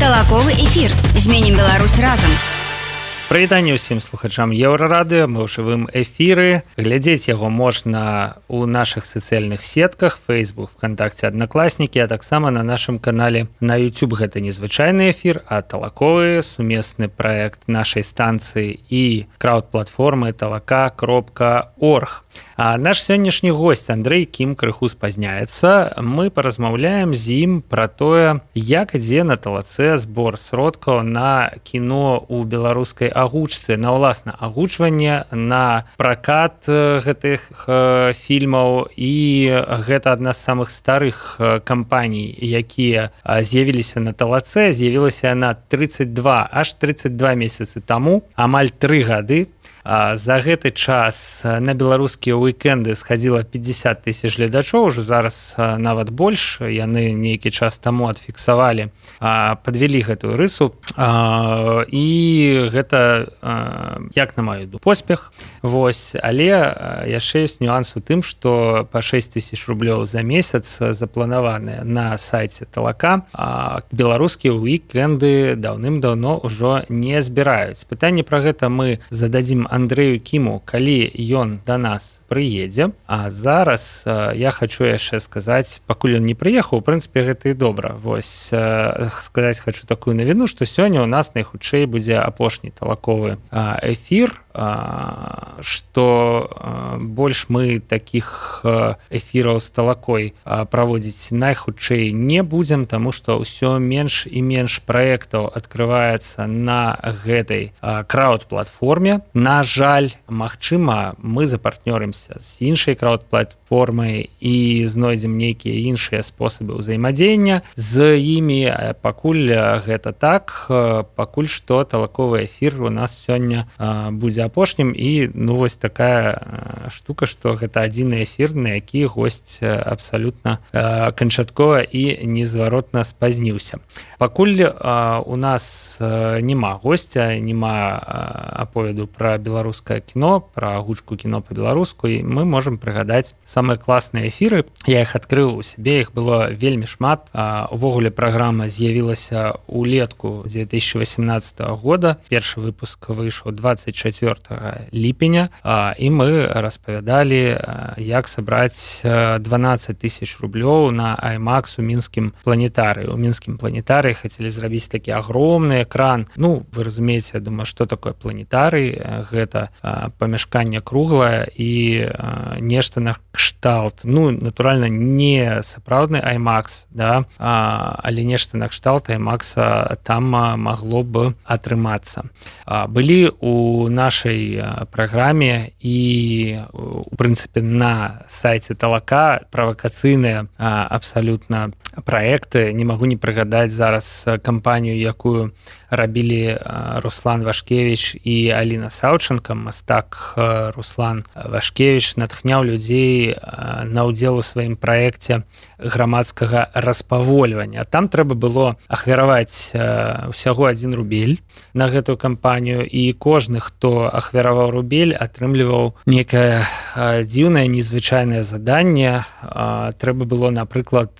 Талаковы эфір. Зменім Беларусь разам. Прывітанне ўсім слухачам Еўрарадыё, мы ў жывым эфіры. Глядзець яго можна ў нашых сацыяльных сетках, Facebook, ВКонтакте, Аднакласнікі, а таксама на нашым канале на YouTube. Гэта незвычайны эфір, а Талаковы, сумесны праект нашай станцыі і крауд-платформы talaka.org. А наш сённяшні госць Андрэй Кім крыху спазняецца. Мы паразмаўляем з ім пра тое, як ідзе на талацэ збор сродкаў на кіно ў беларускай агучцы, на ўласна агучванне, на пракат гэтых фільмаў. І гэта адна з самых старых кампаній, якія з'явіліся на талацэ. З'явілася яна 32 месяцы таму, амаль 3 гады. За гэты час на беларускія уикенды схадзіла 50 000 гледачоў, ужо зараз нават больш. Яны нейкі час таму адфіксавалі, падвялі гэтую рысу. І гэта, як на маю думку, поспех. Але яшчэ ёсць нюанс у тым, што па 6 000 рублёў за месяц запланаваныя на сайце Талака. Беларускія уикенды даўным-даўно ўжо не збіраюць. Пытанне пра гэта мы зададзім Андрэю Кіму, калі ён да нас прыедзе. А зараз я хочу яшчэ сказаць, пакуль ён не прыехаў, у прынцыпе, гэта і добра. Сказаць хочу такую навіну, што сёння ў нас найхутчэй будзе апошні талаковы эфір, што больш мы такіх эфіраў з талакой праводзіць найхутчэй не будзем, таму што ўсё менш і менш праектаў адкрываецца на гэтай крауд-платформе. На жаль, магчыма, мы запартнёрымся з іншай крауд-платформай і знойдзем нейкія іншыя спосабы ўзаемадзеяння з імі. Пакуль гэта так, пакуль што талаковы эфір у нас сёння будзе апошнім. І вось такая штука, што гэта адзіны эфір, на які госць абсалютна канчаткова і незваротна спазніўся. Пакуль у нас няма госця, няма аповеду пра беларускае кіно, пра агучку кіно па-беларуску, і мы можам прыгадаць самыя класныя эфіры. Я іх адкрыў у сябе, іх было вельмі шмат. Увогуле праграма з'явілася ўлетку 2018 года. Першы выпуск выйшаў 24 ліпеня, і мы распавядалі, як сабраць 12 000 рублёў на IMAX у мінскім планетарыі. У мінскім планетарыі хацелі зрабіць такі агромны экран. Вы разумееце, я думаю, што такое планетарый. Гэта памяшканне круглае і нешта на кшталт. Натуральна, не сапраўдны IMAX, да? Але нешта на кшталт IMAX там магло б атрымацца. Былі у нашай праграме і, у прынцыпе, на сайце Талака правакацыйныя абсалютна праекты. Не магу не прыгадаць зараз кампанію, якую рабілі Руслан Вашкевіч і Аліна Саўченко. Мастак Руслан Вашкевіч натхняў людзей на ўдзел у сваім праекце грамадскага распавольвання. Там трэба было ахвяраваць усяго 1 рубель на гэтую кампанію, і кожны, хто ахвяраваў рубель, атрымліваў некае дзіўнае, незвычайнае заданне. Трэба было, напрыклад,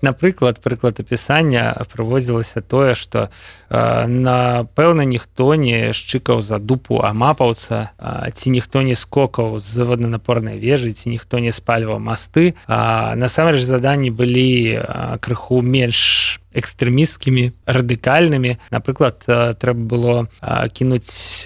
напрыклад, прыклад апісання прыводзілася тое, што напэўна ніхто не шчыкаў за дупу амапаўца, ці ніхто не скокаў з воднанапорнай вежы, ці ніхто не спальваў масты. Насамрэч заданні былі крыху менш экстрэмісцкімі, радыкальнымі. Напрыклад, трэба было кінуць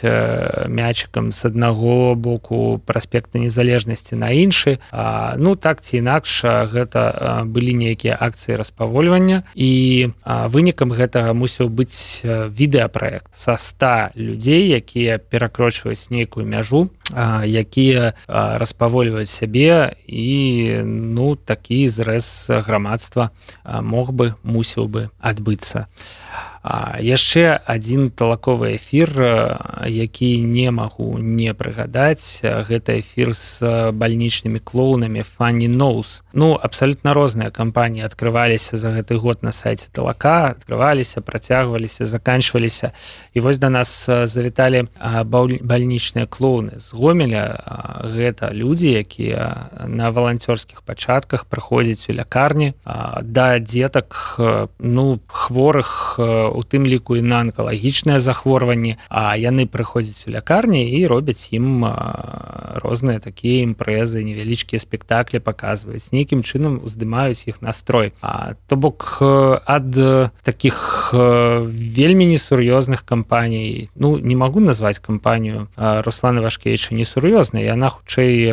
мячыкам з аднаго боку праспекта Незалежнасці на іншы. Так ці інакш, гэта былі нейкія акцыі распавольвання, і вынікам гэтага мусіў быць відэапраект са 100 людзей, якія перакрочваюць нейкую мяжу, якія распавольваюць сябе, і такі зрэз грамадства мусіў бы адбыцца. Яшчэ адзін талаковы эфір, які не магу не прыгадаць, гэта эфір з бальнічнымі клоунамі Funny Nose. Ну, абсалютна розныя кампаніі адкрываліся за гэты год на сайце талака, адкрываліся, працягваліся, заканчваліся. І вось да нас завіталі бальнічныя клоуны з Гомеля. Гэта людзі, якія на валанцёрскіх пачатках прыходзяць у лякарні да дзетак, ну, хворых, у тым ліку і на анкалагічныя захворванні, а яны прыходзяць у лякарні і робяць ім розныя такія імпрэзы, невялічкія спектаклі паказваюць, нейкім чынам уздымаюць іх настрой. То бок ад такіх вельмі несур'ёзных кампаній, ну, не магу назваць кампанію Руслана Вашкевіча несур'ёзнай, яна хутчэй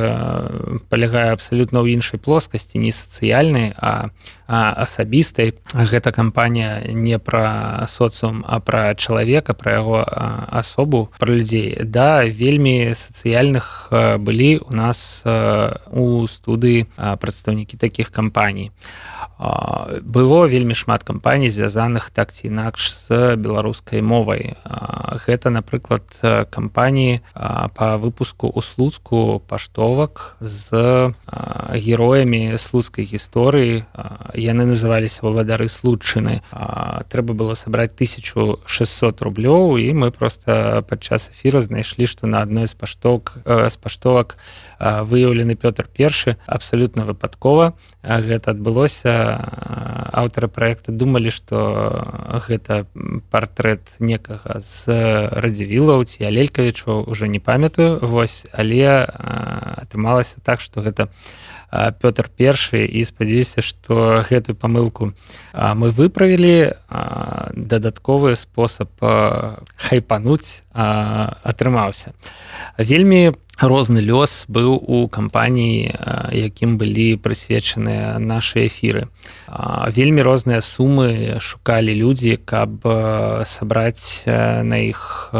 палягае абсалютна ў іншай плоскасці, не сацыяльнай, а асабістай. Гэта кампанія не пра соцыум, а пра чалавека, пра яго асобу, пра людзей. Да, вельмі сацыяльных былі у нас у студыі прадстаўнікі такіх кампаній. Было вельмі шмат кампаній, звязаных так ці інакш з беларускай мовай. Гэта, напрыклад, кампаніі па выпуску ў Слуцку паштовак з героямі слуцкай гісторыі. Яны называліся «Уладары Слуцчыны». Трэба было сабраць 1600 рублёў, і мы проста падчас эфіра знайшлі, што на адной з паштовак выяўлены Пётр I. Абсалютна выпадкова гэта адбылося. Аўтары праекта думалі, што гэта партрэт некага з Радзівілаў ці Алелькавічаў, ужо не памятаю, вось, але атрымалася так, што гэта Пётр I, і спадзяюся, што гэтую памылку мы выправілі. Дадатковы спосаб хайпануць атрымаўся. Вельмі розны лёс быў у кампаній, якім былі прысвечаныя нашы эфіры. Вельмі розныя сумы шукалі людзі, каб сабраць на іх,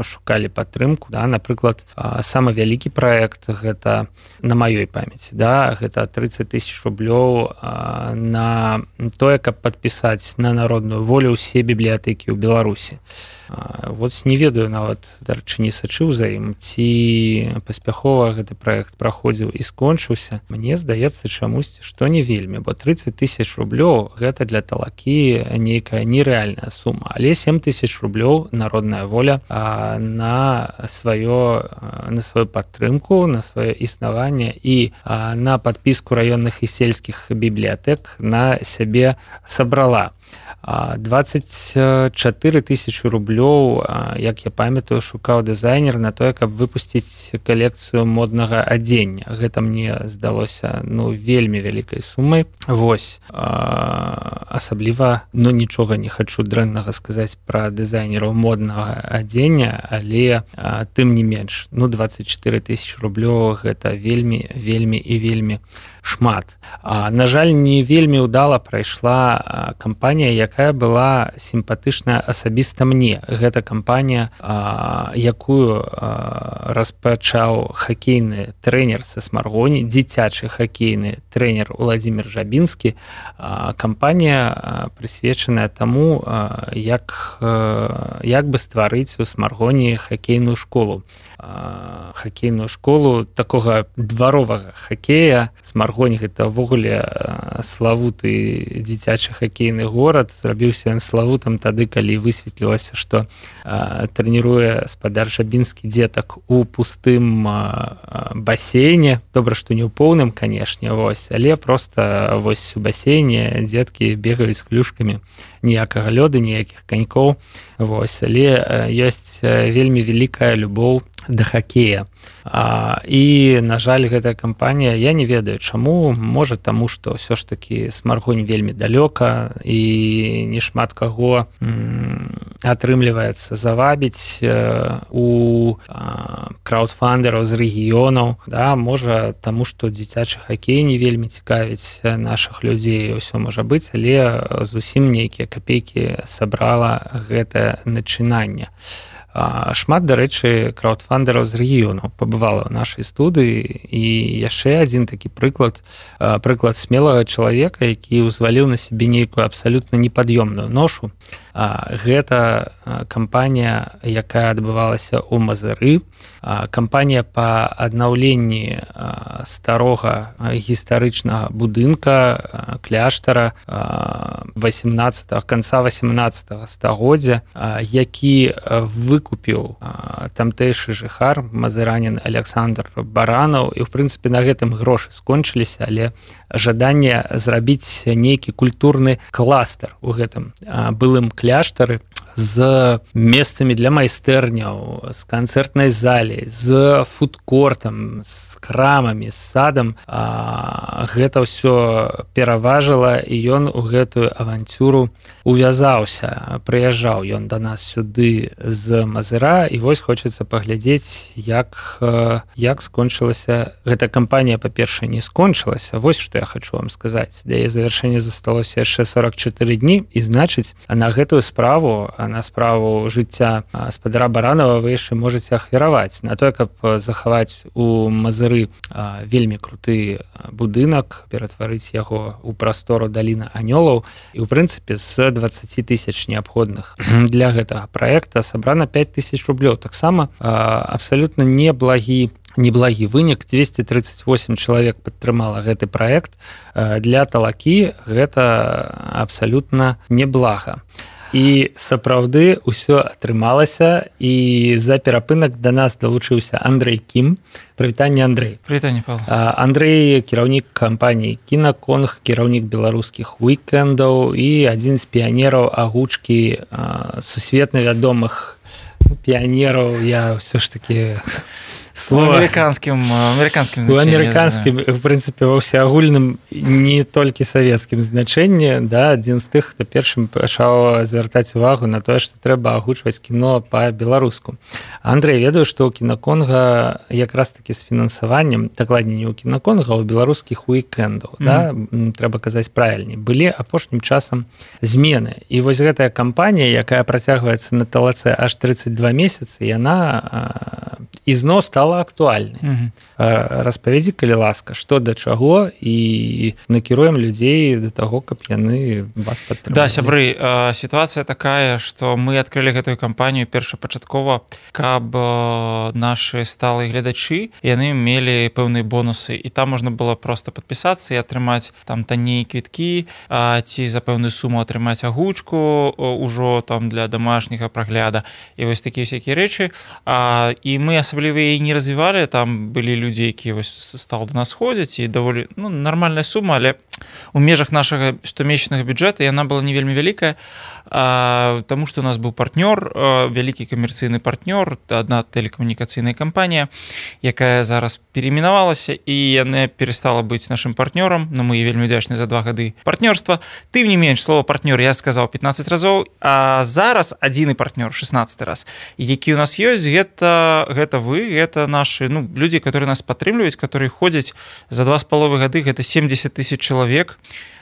шукалі падтрымку. Да? Напрыклад, самы вялікі праект, гэта на маёй памяці, да? Гэта 30 000 рублёў на тое, каб падпісаць на народную волю ўсе бібліятэкі ў Беларусі. Вот не ведаю нават, дарэчы, не сачыў за ім, ці паспяхова гэты праект праходзіў і скончыўся. Мне здаецца чамусьці, што не вельмі, бо 30 000 рублёў гэта для талакі нейкая нерэальная сума, але 7 000 рублёў народная воля на сваю падтрымку, на сваё існаванне і на падпіску раённых і сельскіх бібліятэк на сябе сабрала. 24 000 рублёў, як я памятаю, шукаў дызайнер на тое, каб выпусціць калекцыю моднага адзення. Гэта мне здалося, ну, вельмі вялікай сумай. Вось. Асабліва, ну, нічога не хачу дрэннага сказаць пра дызайнераў моднага адзення, але тым не менш, ну, 24 000 рублёў гэта вельмі, вельмі і вельмі шмат. На жаль, не вельмі ўдала прайшла кампанія, якая была сімпатычная асабіста мне. Гэта кампанія, якую распачаў хакейны трэнер са Смаргоні, дзіцячы хакейны трэнер Уладзімір Жабінскі. Кампанія прысвечаная таму, як бы стварыць у Смаргоні хакейную школу. Хакейную школу такога дваровага хакея. Смаргонь гэта ўвогуле славуты дзіцячы хакейны горад. Зрабіўся ён славутым тады, калі высветлілася, што трэніруе спадар Жабінскі дзетак у пустым басейне. Добра, што не ў поўным, канешне, вось, але проста вось у басейне дзеткі бегаюць з клюшкамі. Ніякага лёду, ніякіх канькоў. Вось, але ёсць вельмі вялікая любоў да хакея. І, на жаль, гэтая кампанія, я не ведаю чаму, можа таму, што ўсё ж такі Смаргонь вельмі далёка і не шмат каго атрымліваецца завабіць у краўдфандераў з рэгіёнаў. Да, можа таму, што дзіцячы хакей не вельмі цікавіць нашых людзей, усё можа быць, але зусім нейкія капейкі сабрала гэтае начынанне. Шмат, дарэчы, краўдфандераў з рэгіёнаў пабывала ў нашай студыі, і яшчэ адзін такі прыклад смелага чалавека, які ўзваліў на сябе нейкую абсалютна непад'ёмную ношу. Гэта кампанія, якая адбывалася ў Мазыры, кампанія па аднаўленні старога гістарычнага будынка кляштара канца 18 стагоддзя, які выкупіў тамтэйшы жыхар, мазыранін Александр Баранаў, і в прынцыпе на гэтым грошы скончыліся, але жаданне зрабіць нейкі культурны кластер у гэтым былым кляштары з месцамі для майстэрняў, з канцэртнай залей, з фудкортам, з крамамі, з садам. Гэта ўсё пераважыла, і ён у гэтую авантюру увязаўся. Прыязджаў ён да нас сюды з Мазыра, і вось хочацца паглядзець, як скончылася гэта кампанія. Па-першае, не скончылася. Вось што я хочу вам сказаць. Да яе завяршэння засталося яшчэ 44 дні, і значыць, на гэтую справу, на справу жыцця спадара Баранова вы яшчэ можаце ахвяраваць на тое, каб захаваць у Мазыры вельмі круты будынак, ператварыць яго ў прастору даліна анёлаў. І ў прынцыпе з 20 000 неабходных для гэтага праекта сабрана 5 000 рублёў. Таксама абсалютна неблагі вынік. 238 чалавек падтрымала гэты праект. Для Талакі гэта абсалютна неблага. І сапраўды ўсё атрымалася, і за перапынак да нас далучыўся Андрэй Кім. Прывітанне, Андрэй. Прывітанне, Павел. Андрэй кіраўнік кампаніі Кінаконг, кіраўнік беларускіх уікендаў і адзін з піянераў агучкі сусветна вядомых піянераў. Я ўсё ж такі амерыканскім значэнні. У амерыканскім, в прынцыпе, ва ўсеагульным, не толькі савецкім значэнні, да, адзін з тых, хто першым пачаў звяртаць увагу на тое, што трэба агучваць кіно па-беларуску. Андрэй, ведаю, што ў Кінаконга якраз такі з фінансаваннем, дакладней не ў Кінаконга, а ў беларускіх уікендаў, да, трэба казаць правільней, былі апошнім часам змены. І вось гэтая кампанія, якая працягваецца на Талаце аж 32 месяцы, яна ізноў стала актуальнай. Распавядзі, калі ласка, што да чаго, і накіруем людзей да таго, каб яны вас падтрымалі. Да, сябры, сітуацыя такая, што мы адкрылі гэтую кампанію першапачаткова, каб нашы сталыя гледачы, яны мелі пэўныя бонусы, і там можна было проста падпісацца і атрымаць там танней квіткі, ці за пэўную суму атрымаць агучку ўжо там для домашняга прагляда, і вось такія всякія рэчы. І мы асабліва і не развівалі, там былі людзі, якія стал до нас ходзяць, і даволі нармальная сума, але у межах нашага штомесячнага бюджэта яна была не вельмі вялікая, таму што у нас быў партнёр, вялікі камерцыйны партнёр, адна тэлекамунікацыйная кампанія, якая зараз перейменавалася, і яна перестала быць нашым партнёрам, но мы вельмі удзячны за 2 гады партнёрства. Тым не менш, слова партнёр я сказаў 15 разоў, а зараз адзіны партнёр 16 раз. І які у нас ёсць, гэта вы, гэта нашы людзі, которые нас падтрымліваюць, которые ходзяць за 2,5 гады, гэта 70 000 чалавек.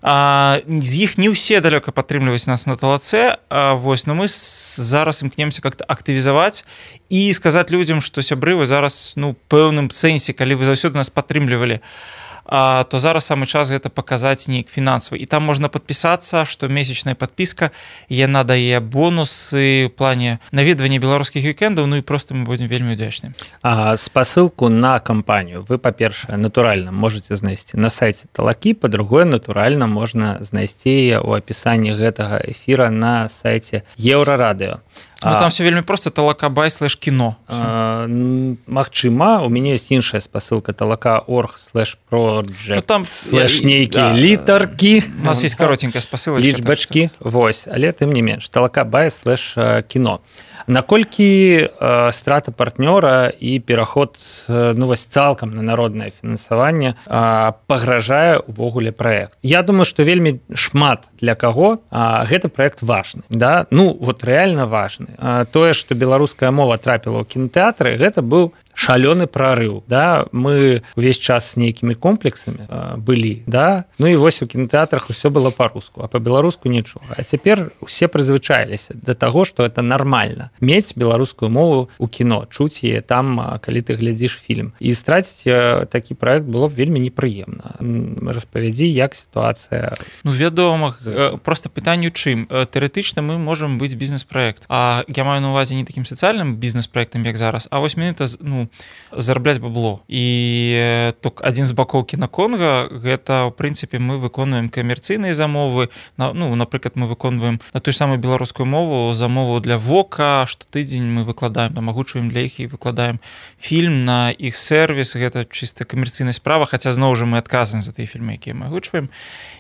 З іх не ўсе далёка падтрымліваюць нас на Талаце, вось, но мы зараз імкнемся как-то актывізаваць і сказаць людзям, што сябры, вы зараз пэўным сэнсе, калі вы заўсёды нас падтрымлівалі, то зараз самы час гэта паказаць неяк фінансава. І там можна падпісацца, што месячная падпіска, яна дае бонусы ў плане наведвання беларускіх вікендаў, і проста мы будзем вельмі удзячныя. Спасылку на кампанію вы, па-першае, натуральна можаце знайсці на сайце Талакі, па-другое, натуральна можна знайсці яе ў апісанні гэтага эфіра на сайце Еўрарадыё. Там все вельмі проста, talaka.by/kino. Магчыма, у мяне ёсць іншая спасылка, talaka.org/project/нейкія літаркі. У нас есть каротенькая спасылачка. Лічбачкі, вось, але тым не менш, talaka.by/kino. Наколькі страта партнёра і пераход цалкам на народнае фінансаванне пагражае ўвогуле праект? Я думаю, што вельмі шмат для каго гэты праект важны. Да? Рэальна важны. Тое, што беларуская мова трапіла ў кінотэатры, гэта быў шалёны прарыў, да, мы увесь час з нейкімі комплексамі былі, да, ну і вось у кінотэатрах усё было па-руску, а па-беларуску нічога. А цяпер усе прызвычаіліся да таго, што это нармальна мець беларускую мову ў кіно, чуць яе там, калі ты глядзіш фільм. І страціць такі праект было б вельмі непрыемна. Распавядзі, як сітуацыя. Ну, вядома, просто пытанне ў чым. Тэарэтычна мы можам быць бізнес-праект. А я маю на увазе не такім сацыяльным бізнес-праектам, як зараз, а вось менавіта, ну, зарабляць бабло. І адзін з бакоў кінаконга гэта, ў прынцыпе, мы выконваем камерцыйныя замовы. Ну, напрыклад, мы выконваем на тую ж самую беларускую мову замову для Вока, штотыдзень мы выкладаем, там агучваем для іх і выкладаем фільм на іх сервіс. Гэта чыста камерцыйная справа, хаця зноў жа мы адказваем за тыя фільмы, якія мы агучваем.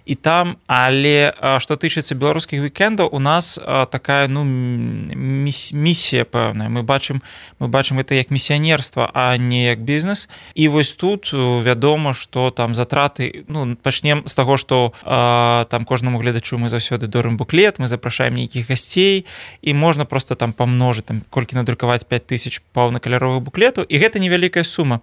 І там, але што тычыцца беларускіх вікендаў, у нас такая, ну, місія пэўная. Мы бачым гэта як місіянерства, а не як бізнес. І вось тут вядома, што там затраты, ну, пачнем з таго, што там кожнаму гледачу мы заўсёды дорым буклет, мы запрашаем нейкіх гасцей, і можна проста там памножыць, там, колькі надрукаваць 5000 паўнакаляровых буклетаў, і гэта невялікая сума.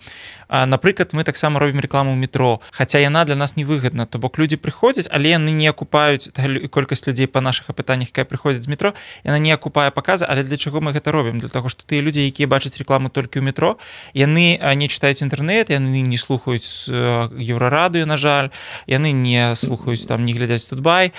Напрыклад, мы таксама робім рэкламу ў метро, хаця яна для нас невыгадна, то бок людзі прыходзяць, але яны не акупаюць колькасць людзей па нашых апытаннях, якая прыходзіць з метро, яна не акупае паказы, але для чаго мы гэта робім? Для таго, што тыя людзі, якія бачаць рэкламу толькі ў метро, яны не чытаюць інтэрнэт, яны не слухаюць Еўрарадыё, на жаль, яны не слухаюць, там, не глядзяць Тутбай,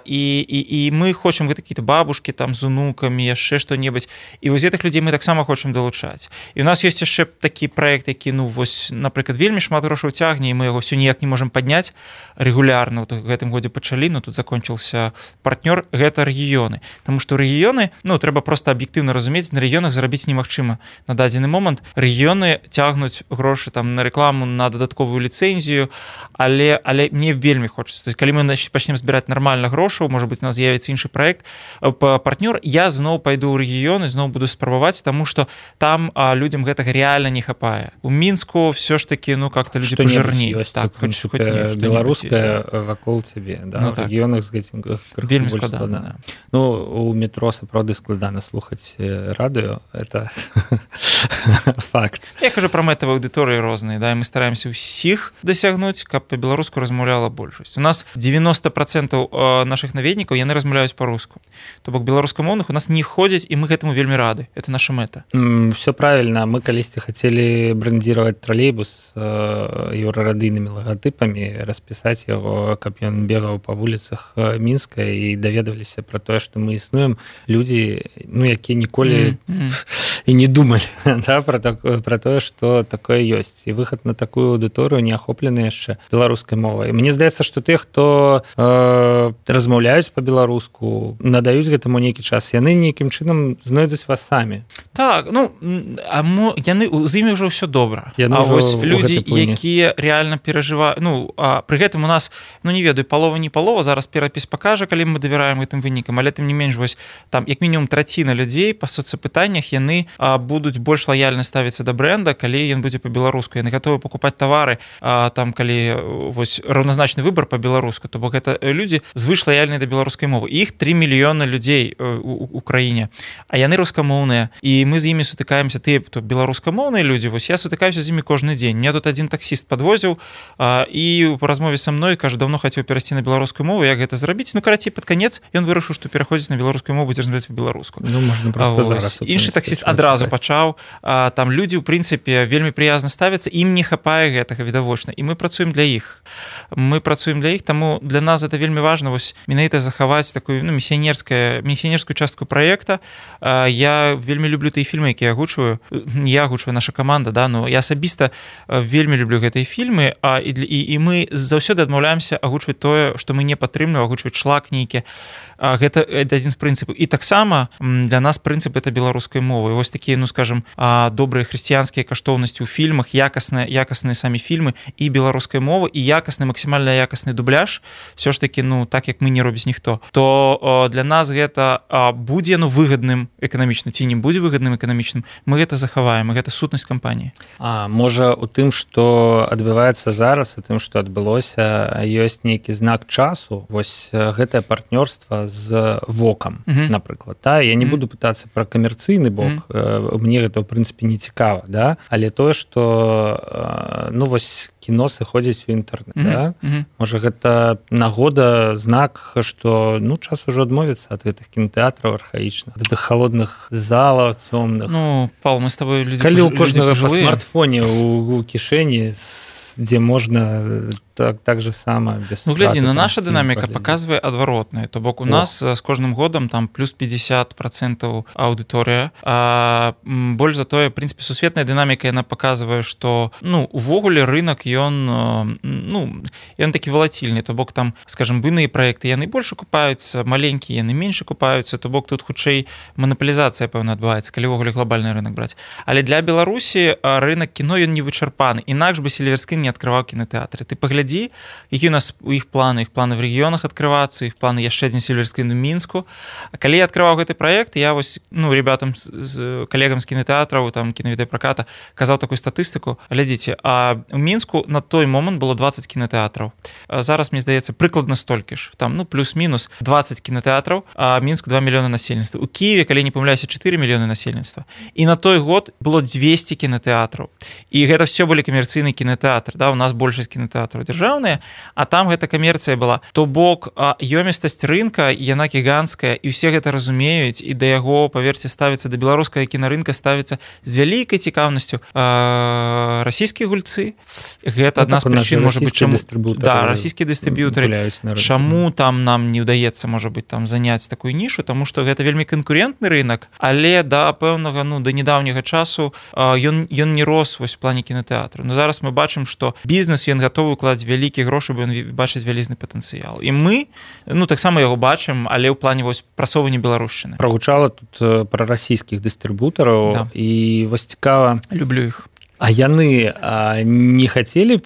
і мы хочам гэта какие-то бабушкі там з унукамі, яшчэ што-небудзь, і вось гэтых людзей мы таксама хочам далучаць. І у нас ёсць яшчэ такі праект, які, ну, вось, напрыклад, вельмі шмат грошаў цягне, і мы яго ўсё ніяк не можам падняць рэгулярна. В гэтым годзе пачалі, но тут закончыўся партнёр, гэта рэгіёны. Таму што рэгіёны, ну, трэба проста аб'ектыўна разумець, на рэгіёнах зарабіць немагчыма на дадзены момант. Рэгіёны цягнуць грошы там на рэкламу, на дадатковую ліцэнзію, але мне вельмі хочацца. То есть, калі мы пачнем збіраць нармальна грошаў, можа быць, у нас з'явіцца іншы праект, партнёр, я зноў пайду ў рэгіёны, зноў буду спрабаваць, таму што там людзям гэтага рэальна не хапае. У Мінску все ж таки, ну, как-то люди пожирнеют. Так, беларуская вакол цябе, да, ну, в рэгіёнах з гэтым вельмі складана. Ну, у метро сапраўды складана слухаць радыё, это факт. Я кажу пра мэтавыя аўдыторыі розныя, да, і мы стараемся ўсіх дасягнуць, каб па-беларуску размаўляла большасць. У нас 90% нашых наведнікаў, яны размаўляюць па-руску. То бок беларускамоўных у нас не ходзяць, і мы гэтаму вельмі рады. Это наша мэта. Все правильно. Мы калісьці хацелі брэндзіраваць тралейбус еўрарадыйнымі лагатыпамі, распісаць яго, каб ён бегаў па вуліцах Мінска, і даведваліся пра тое, што мы існуем. Людзі, ну, якія ніколі і не думалі, да, пра тое, што такое ёсць. І выхад на такую аўдыторыю не ахоплены яшчэ беларускай мовай. Мне здаецца, што тыя, хто размаўляюць па-беларуску, надаюць гэтаму нейкі час, яны нейкім чынам знойдуць вас самі. Так, ну, яны з імі ўжо ўсё добра. А вось людзі, якія рэальна перажываюць, ну, пры гэтым у нас, ну, не ведаю, палова не палова, зараз перапіс пакажа, калі мы давяраем гэтым вынікам, але тым не менш, вось, там, як мінімум траціна людзей па соцапытаннях, яны будуць больш лаяльна ставіцца да брэнда, калі ён будзе па-беларуску. Яны гатовы пакупаць тавары, там, калі, вось, раўназначны выбар па-беларуску, то бок гэта людзі звыш лаяльныя да беларускай мовы. Іх 3 мільёны людзей у краіне, а яны рускамоўныя, і мы з імі сутыкаемся, тыя, хто беларускамоўныя людзі, вось, я сутыкаюся з імі кожны дзень. Мне тут адзін таксіст падвозіў, і ў размове са мной, кажа, даўно хацеў перайсці на беларускую мову, як гэта зрабіць? Ну, карацей, пад канец ён вырашыў, што пераходзіць на беларускую мову, будзе размаўляць па-беларуску. Ну, можна проста зараз. Іншы таксіст адразу пачаў. Там людзі, ў прынцыпе, вельмі прыязна ставяцца, ім не хапае гэтага відавочна, і мы працуем для іх. Таму для нас это вельмі важна, вось, менавіта захаваць такую, ну, місіянерскую частку праекта. Я вельмі люблю тыя фільмы, якія агучваю. Я агучваю, наша каманда, да, но я асабіста вельмі люблю гэтыя фільмы, і мы заўсёды адмаўляемся агучваць тое, што мы не падтрымліваем, агучваць шлак нейкі. Гэта адзін з прынцыпаў. І таксама для нас прынцып это беларускай мовы. Вось такія, ну, скажем, добрыя хрысціянскія каштоўнасці ў фільмах, якасныя самі фільмы і беларускай мовы, і якасны максімальна максімальна якасны дубляж, все ж таки, ну, так як мы не робіць ніхто, то для нас гэта будзе выгадным эканамічна ці не будзе выгадным эканамічным, мы гэта захаваем, гэта сутнасць кампаніі. Можа у тым, што адбываецца зараз, у тым, што адбылося, ёсць нейкі знак часу, вось гэтае партнёрства з ВОКам, напрыклад, да? Я не буду пытацца пра камерцыйны бок, мне гэта, ў прынцыпе, не цікава, да? Але тое, што, ну, вось кіно сыходзіць у інтэрнэт, да? Можа, гэта нагода, знак, што, ну, час ужо адмовіцца ад гэтых кінотэатраў архаічных, ад гэтых холодных залаў цёмных. Ну, Павел, мы з табой людзі калі ў кожнага па смартфоне у кішэні, дзе можна так же само без ну, глядзі, на наша дынаміка паказвае адваротнае, то бок у нас з кожным годам там плюс 50% аўдыторыя, больш за тое, в прынцыпе, сусветная дынаміка яна паказвае, што, ну, увогуле рынок ён, ну, ён такі валацільны, то бок там, скажем, буйныя праекты яны больш акупаюцца, маленькія яны менш акупаюцца, то бок тут хутчэй манаполізацыя, пэўна, адбываецца, калі ўвогуле глобальны рынок браць. Але для Беларусі рынок кіно ён не вычарпаны, інакш бы Сільверскін не адкрываў кінотэатры. Ты паглядзі, які у нас у іх планы в рэгіёнах адкрывацца, іх планы яшчэ адзін Сільверскін у Мінску. А калі я адкрываў гэты праект, я вось, ну, ребятам з калегам з кінотэатраў, там кінавідэапраката казаў такую статыстыку. Глядзіце, а ў Мінску на той момант было 20 кінотэатраў. Зараз, мне здаецца, прыкладна столькі ж. Там, ну, плюс-мінус 20 кінотэатраў, а Мінску 2 мільёны насельніцтва. У Кіеве, калі не памыляюся, 4 мільёны насельніцтва. І на той год было 200 кінотэатраў. І гэта все былі камерцыйныя кінотэатры, да, у нас большасць кінотэатраў дзяржаўныя, а там гэта камерцыя была. То бок ёмістасць рынка, яна гіганцкая, і ўсе гэта разумеюць, і да яго, паверце, ставіцца, да беларускага кінарынка ставіцца з вялікай цікаўнасцю расійскія гульцы. Гэта адна з прычын, можа быць, чаму... Да, расійскія дыстрыб'ютары. Чаму там нам не ўдаецца, можа быць, там заняць такую нішу, таму што гэта вельмі канкурентны рынок, але да пэўнага, ну, да недаўняга часу ён не рос вось у плане кінотэатру. Но зараз мы бачым, што бізнес, ён гатовы укладаць вялікія грошы, бо ён бачыць вялізны патэнцыял. І мы, ну, таксама яго бачым, але ў плане вось прасоўвання беларушчыны. Прагучала тут пра расійскіх дыстрыбутараў, да. І вось цікава... Люблю іх. А яны не хацелі б,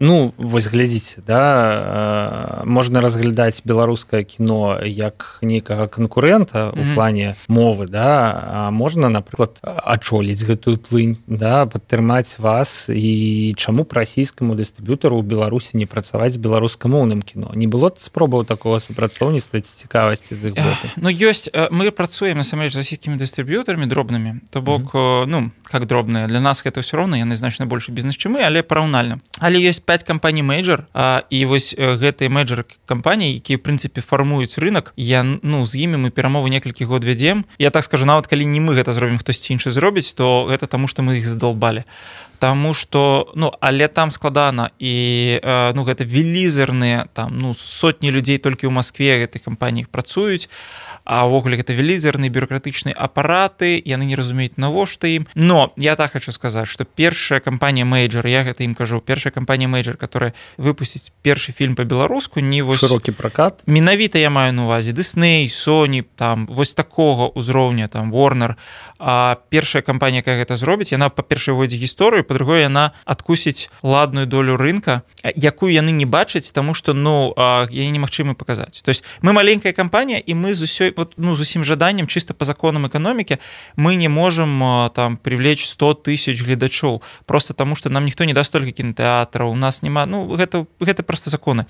ну, вось глядзіце, да, можна разглядаць беларускае кіно як нейкага канкурэнта ў плане мовы, да, а можна, напрыклад, ачоліць гэтую плынь, да, падтрымаць вас, і чаму б расійскаму дыстрыб'ютару ў Беларусі не працаваць з беларускамоўным кіно? Не было спробаў такога супрацоўніцтва ці цікавасці з іх боку? Ну, ёсць, мы працуем, насамрэч, з расійскімі дыстрыб'ютарамі дробнымі, то бок, ну, как дробныя. Для нас гэта ўсё роўна, яны значна большы бізнес, чым мы, але параўнальна. Але ёсць 5 кампаній мейджор, і вось гэтыя мейджор кампаніі, якія, в прынцыпе, фармуюць рынок, ну, з імі мы перамовы некалькі год вядзем. Я так скажу, нават калі не мы гэта зробім, хтосьці іншы зробіць, то гэта таму, што мы іх задалбалі. Таму што, ну, але там складана, і, ну, гэта велізарныя, там, ну, сотні людзей толькі ў Маскве гэтых кампаніях працуюць, а ўвогуле гэта велізарныя бюрократычныя апараты, яны не разумеюць, навошта ім. Но я так хочу сказаць, што першая кампанія мейджор, я гэта ім кажу, першая кампанія мейджор, которая выпусціць першы фільм па-беларуску, не вось... Шырокі пракат? Менавіта я маю на увазе Disney, Sony, там, вось такога ўзроўня, там, Warner. А першая кампанія, якая гэта зробіць, яна, па-першае, войдзе гісторыю, па-другое, яна адкусіць ладную долю рынка, якую яны не бачаць, таму што, ну, яе немагчыма паказаць. То есть мы маленькая кампанія, і мы з усёй, вот, ну, з усім жаданнем, чыста па законам эканомікі, мы не можам там привлечь 100 тысяч гледачоў, просто таму што нам ніхто не даст столькі кінотэатраў, у нас няма, ну, гэта просто законы.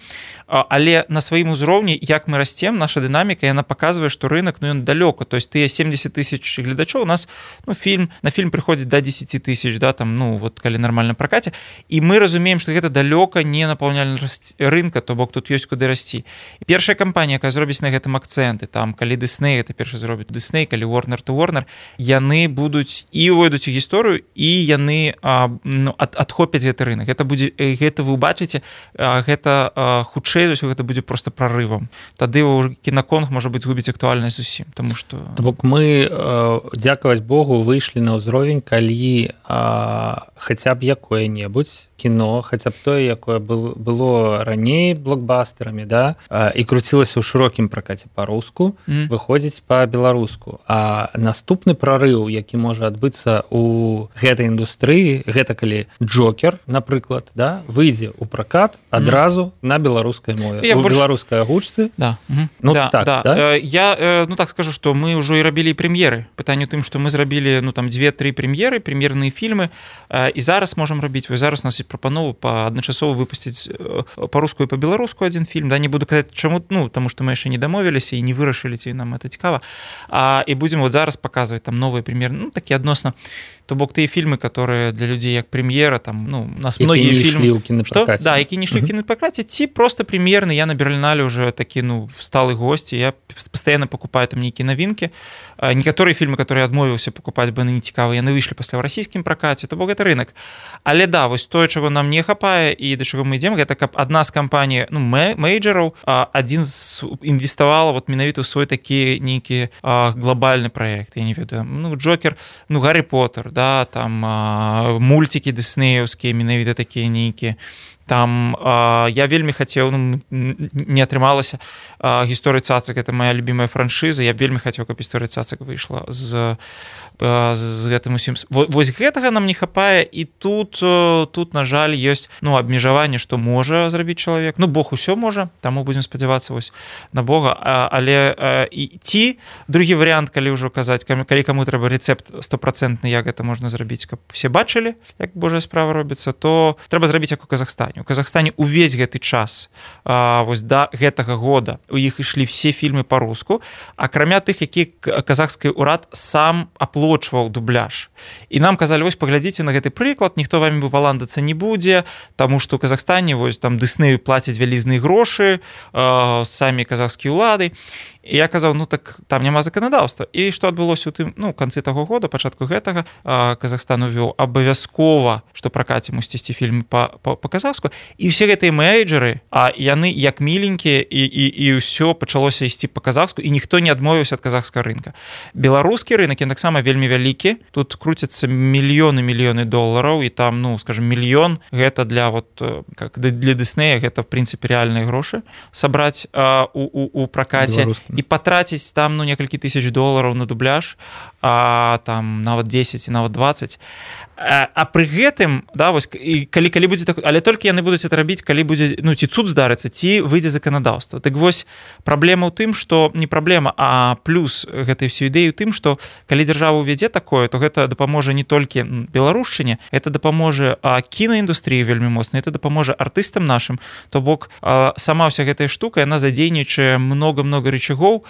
Але на сваім узроўні, як мы расцем, наша дынаміка, яна паказвае, што рынок, ну, ён далёка, то есть тыя 70 тысяч гледачоў, у нас, ну, на фільм прыходзіць до 10 тысяч, да, там, ну, вот, калі нармальна пракаце, і мы разумеем, што гэта далёка не напаўняльнасць рынка, то бок тут ёсць куды расці. І першая кампанія, якая зробіць на гэтым акцэнты, там, калі Disney гэта першы зробіць Disney, калі Warner to Warner, яны будуць і увойдуць у гісторыю, і яны, ну, адхопяць гэты рынок. Гэта вы ўбачыце, гэта хутчэй за ўсё гэта будзе просто прарывам. Тады кінаконг, можа быць, згубіць актуальнасць зусім, таму што... То бок мы, дзякаваць Богу, выйшлі на ўзровень, калі хаця б якое-небудзь кіно, хаця б тое, якое было раней блокбастерамі, да, і круцілася ў шырокім пракаце па-руску, выходзіць па-беларуску. А наступны прарыў, які можа адбыцца ў гэтай індустрыі, гэта калі Джокер, напрыклад, да, выйдзе ў пракат адразу на беларускай мове, у беларускай агучцы. Да. Ну, да, так, да? Я, так скажу, што мы ўжо і рабілі прэм'еры. Пытанне ў тым, што мы зрабілі, 2-3 прэм'ерныя фільмы, і зараз можам рабіць. Вось зараз у нас ёсць прапанову адначасова выпусціць па-руску і па-беларуску адзін фільм. Да, не буду казаць, чаму, таму што мы яшчэ не дамовіліся і не вырашылі, ці нам гэта цікава. І будзем вот зараз паказваць там новыя прэм'еры, такі адносна. То бок тыя фільмы, которые для людзей як прэм'ера, там, у нас многія фільмы, да, які не ішлі ў кінапракаце, ці просто прэм'ерны. Я на Берлінале уже такі, сталы госць, я пастаянна пакупаю там нейкія навінкі. Некаторыя фільмы, которые адмовіўся пакупаць, бо яны не цікавы, яны выйшлі пасля ў расійскім пракаце, то бок гэта рынок. Але да, вось тое, чаго нам не хапае і да чаго мы ідзем, гэта каб адна з кампаній, мейджараў, адзін інвеставала вот менавіта ў свой такі нейкі глобальны праект, я не ведаю, Джокер, Гаррі Поттер, да, там мультики дыснеевскія, менавіта такія нейкія. Там я вельмі хацеў, не атрымалася, гісторыя цацак, это моя любимая франшыза, я вельмі хацеў, каб гісторыя цацак выйшла з гэтым усім. Вось гэтага нам не хапае, і тут на жаль, ёсць абмежаванне, што можа зрабіць чалавек. Бог усё можа, таму будзем спадзявацца вось на Бога. Але ці другі варыянт, калі ўжо казаць, калі каму трэба рэцэпт 100%, як гэта можна зрабіць, каб все бачылі, як Божая справа робіцца, то трэба зрабіць як у Казахстане. У Казахстане увесь гэты час, вось да гэтага года, у іх ішлі все фільмы па-руску, акрамя тых, які казахскі ўрад сам аплочваў дубляж. І нам казалі, вось паглядзіце на гэты прыклад, ніхто вамі валандацца не будзе, таму што ў Казахстане вось там Дыснею плацяць вялізныя грошы, самі казахскія ўлады. І я казаў, так там няма заканадаўства. І што адбылося ў тым, канцы таго года, пачатку гэтага, Казахстан увёў абавязкова, што пракаце мусіць ісці фільмы па-казахску. І ўсе гэтыя менеджеры, яны як міленькія, і ўсё пачалося ісці па-казахску, і ніхто не адмовіўся ад казахскага рынка. Беларускі рынак, ён таксама вельмі вялікі. Тут круцяцца мільёны долараў, і там, скажем, мільён, гэта для Дыснея, гэта, в прынцыпе, рэальныя грошы сабраць у пракаце. І патраціць там некалькі тысяч долараў на дубляж, там нават 10 і нават 20. А пры гэтым, да, вось, калі будзе так, але толькі яны будуць это рабіць, калі будзе, ці цуд здарыцца, ці выйдзе заканадаўства. Так вось, праблема ў тым, што не праблема, а плюс гэтай всей ідэі ў тым, што калі дзяржава ўвядзе такое, то гэта дапаможа не толькі беларушчыне, это дапаможа кінаіндустрыі вельмі моцна, это дапаможа артыстам нашым, то бок сама ўся гэтая штука, яна задзейнічае много-много рычагоў,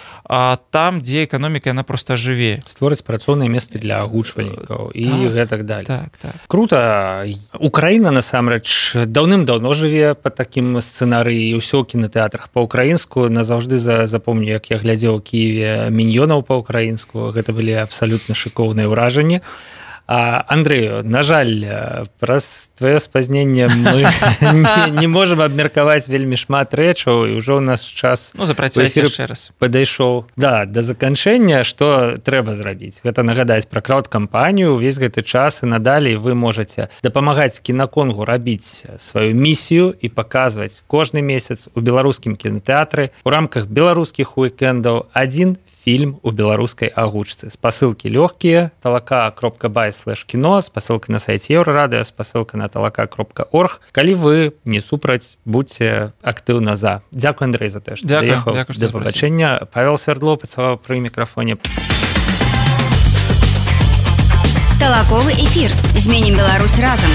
там, дзе эканоміка, яна проста жыве. Створыць працоўныя месцы для агучвальнікаў і гэтак далее. Так. Круто. Украіна, насамрэч, даўным-даўно жыве па такім сцэнарыі, і ўсё ў кінатэатрах па-ўкраінску. Назаўжды запомню, як я глядзеў у Кіеве «Міньёнаў» па-ўкраінску. Гэта былі абсалютна шыкоўныя ўражанні. Андрэю, на жаль, праз твоё спазненне мы не можам абмеркаваць вельмі шмат рэчаў, і ўжо ў нас час падышоў да заканчэння. Што трэба зрабіць? Гэта нагадаць пра краўд-кампанію. Увесь гэты час і надалей вы можаце дапамагаць кінаконгу рабіць сваю місію і паказваць кожны месяц у беларускім кінатэатры у рамках беларускіх уікендаў адзін фільм у беларускай агучцы. Спасылкі лёгкія, talaka.by/kino, спасылка на сайце Еўрарадыё, спасылка на talaka.org. Калі вы не супраць, будьце актыўна за. Дзякуй, Андрэй, за тое, што прыехаў. Да пабачэння. Павел Свердлоў працаваў пры мікрафоне. Талаковы эфір. Зменім Беларусь разам.